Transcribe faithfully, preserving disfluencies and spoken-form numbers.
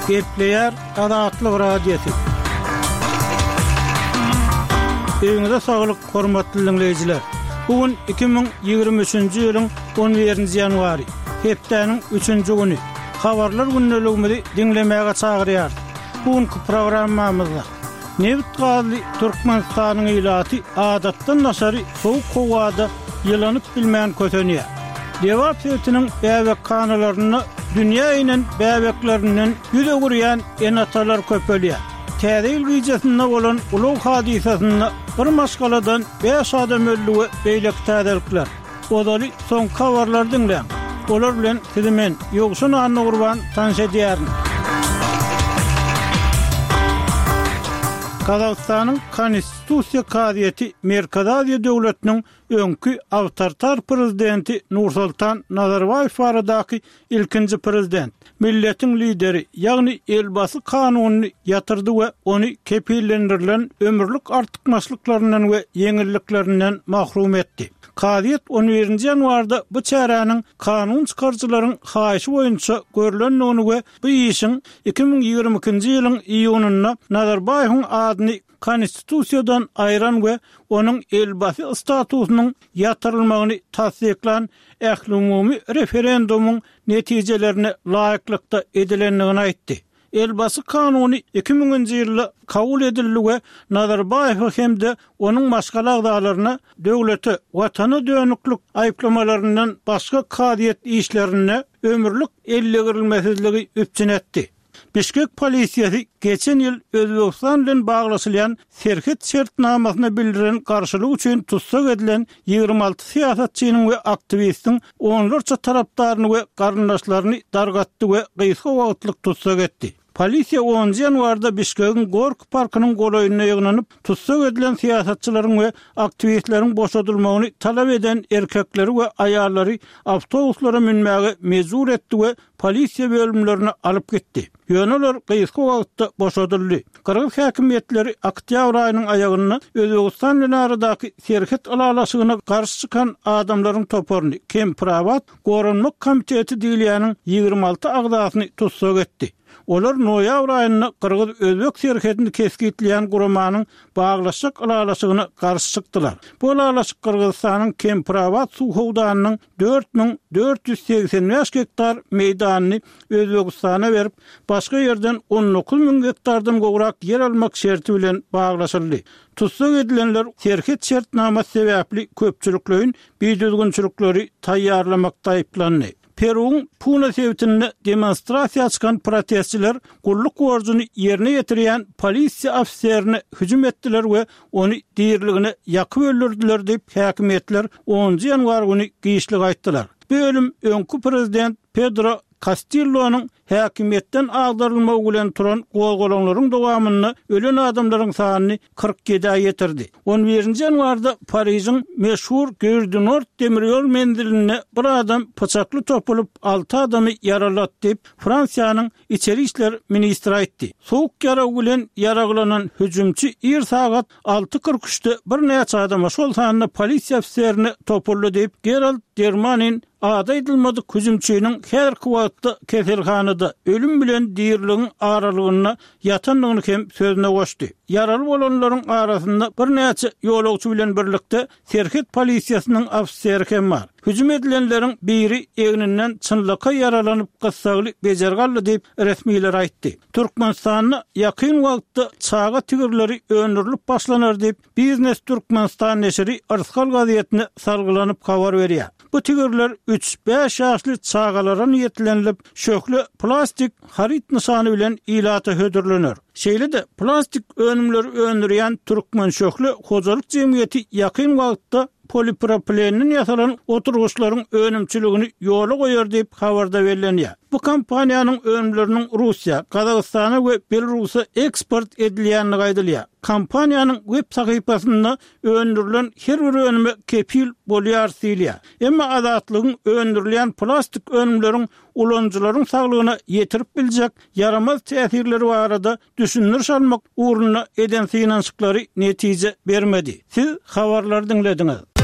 Gepleýär Azatlyk Radiosy. Öýüňize saglyk, hormatly diňleýjiler! Bu gün iki müň ýigrimi üçünji ýylyň on birinji ýanwary, hepdäniň üçünji güni. Habarlar gündeligimizi diňlemäge çagyrýarys. Bu günki programmamyzda nebit-gazly Türkmenistanyň ilaty adatdan daşary sowuk howada ýylanyp bilmän kösenýär. Lebap sebitiniň bäbekhanalarynda dünýä inen bäbeklerinden ýüz öwürýän ene-atalar köpelýär. Täze ýyl gijesinde bolan ulag hadysasynda bir maşgaladan bäş adam öldi we beýleki täzelikler. Ozaly soňky habarlary diňläň. Olar bilen sizi men, Ýowşan Annagurban tanyş edýärin. Gazagystanyň Konstitusiýa kazyýeti Merkezi Aziýa döwletiniň öňki awtoritar prezidenti Nursultan Nazarbaýew baradaky ilkinji prezident, milletiň lideri, ýagny Elbasy kanunyny ýatyrdy we ony kepillendirilen ömürlik artykmaçlyklaryndan we ýeňilliklerinden mahrum etdi. Kazyýet on birinji ýanwarda bu çäräniň kanun çykaryjylaryň haýyşy boýunça görlendigini we bu işiň iki müň ýigrimi ikinji ýylyň iýunynda Nazarbaýewiň adyny Konstitusiýadan aýran we onuň Elbasy statusynyň ýatyrylmagyny tassyklan ählumumy referendumyň netijelerine laýyklykda edilendigini aýtdy. Elbasy kanuny iki müňünji ýylda kabul edildi we Nazarbaýewe hem-de onuň maşgala agzalaryna döwlete, Watana dönüklik aýyplamalaryndan başga kazyýet işlerinde ömürlik ellegirilmesizligi üpjün etdi. Bişkek polisiýasy geçen ýyl Özbegistan bilen baglaşylýan serhet şertnamasyna bildiren garşylygy üçin tussag edilen ýigrimi alty syýasatçynyň we aktiwistiň onlarça tarapdaryny we garyndaşlaryny dargatdy we gysga wagtlyk tussag etdi. Polisiýa onunjy ýanwarda Bişkegiň Gorki parkynyň golaýynda ýygnanyp, tussag edilen syýasatçylaryň we aktiwistleriň boşadylmagyny talap eden erkekleri we aýallary awtobuslara münmäge mejbur etdi we polisiýa bölümlerine alyp gitdi. Ýöne olar gysga wagtda boşadyldy. Gyrgyz häkimiýetleri oktýabr aýynyň aýagynda Özbegistan bilen aradaky serhet ylalaşygyna garşy çykan adamlaryň toparyny, Kempirabat goranmak komiteti diýilýäniň ýigrimi alty agzasyny tussag etdi. Olar noýabr aýynda gyrgyz-özbek serhedini kesgitleýän guramanyň baglaşjak ylalaşygyna garşy çykdylar. Bu ylalaşyk Gyrgyzystanyň Kempirabat suw howdanynyň dört müň dört ýüz segsen bäş gektar meýdanyny Özbegistana berip, başga ýerden on dokuz müň gektardan gowrak ýer almak şerti bilen baglaşyldy. Tussag edilenler serhet şertnamasy sebäpli köpçülikleýin bidüzgünçilikleri taýýarlamakda aýyplandy. Peruwyň Puna sebitinde demonstrasiýa çykan protestçiler gulluk borjuny ýerine ýetirýän polisiýa ofiserine hüjüm etdiler we ony diriligine ýakyp öldürdiler diýip, häkimiýetler onunjy ýanwar güni giçlik aýtdylar. Bu ölüm öňki prezident Pedro Kastillonyň häkimiýetden agdarylmagy bilen turan gozgalaňlaryň dowamynda ölen adamlaryň sanyny kyrk ýedä ýetirdi. On birinji ýanwarda Parižiň meşhur Gare-du-Nord demir ýol menzilinde bir adam pyçakly topulyp, alty adamy ýaralady diýip, Fransiýanyň içeri işler ministri aýtdy. Sowuk ýarag bilen ýaraglanan hüjümçi ir sagat alty kyrk üçde birnäçe adama, şol sanda polisiýa ofiserine topuldy diýip, Gerald Dermanin ady aýdylmadyk hüjümçiniň häzirki wagtda keselhanada ölüm bilen diriligiň aralygynda ýatandygyny hem sözüne goşdy. Ýaraly bolanlaryň arasynda birnäçe ýolagçy bilen birlikde serhet polisiýasynyň ofiseri hem bar. Hüjüm edilenleriň biri egninden çynlakaý ýaralanyp, gyssagly bejergi aldy diýip, resmiler aýtdy. Türkmenistanda ýakyn wagtda çaga tigirleri öndürilip başlanar diýip, Biznes Türkmenistan neşiri Yrsgal gazetine salgylanyp habar berýär. Bu tigirler üç-bäş ýaşly çagalara niýetlenilip, şöhle plastik haryt nyşany bilen ilata hödürlener. Şeýle-de, plastik önümleri öndürýän Türkmenşöhle hojalyk jemgyýeti ýakyn wagtda polipropilenden ýasalan oturgyçlaryň önümçiligini ýola goýar diýip, habarda bellenýär. Bu kompaniýanyň önümleriniň Russiýa, Gazagystana we Belarusa eksport edilýändigi aýdylýar. Kompaniýanyň web sahypasynda öndürilen her bir önüme kepil bolýarys diýilýär. Emma Azatlygyň öndürilýän plastik önümleriň ulanyjylaryň saglygyna ýetirip biljek ýaramaz täsirleri barada düşündiriş almak ugrunda eden synanyşyklary netije bermedi. Siz habarlary diňlediňiz.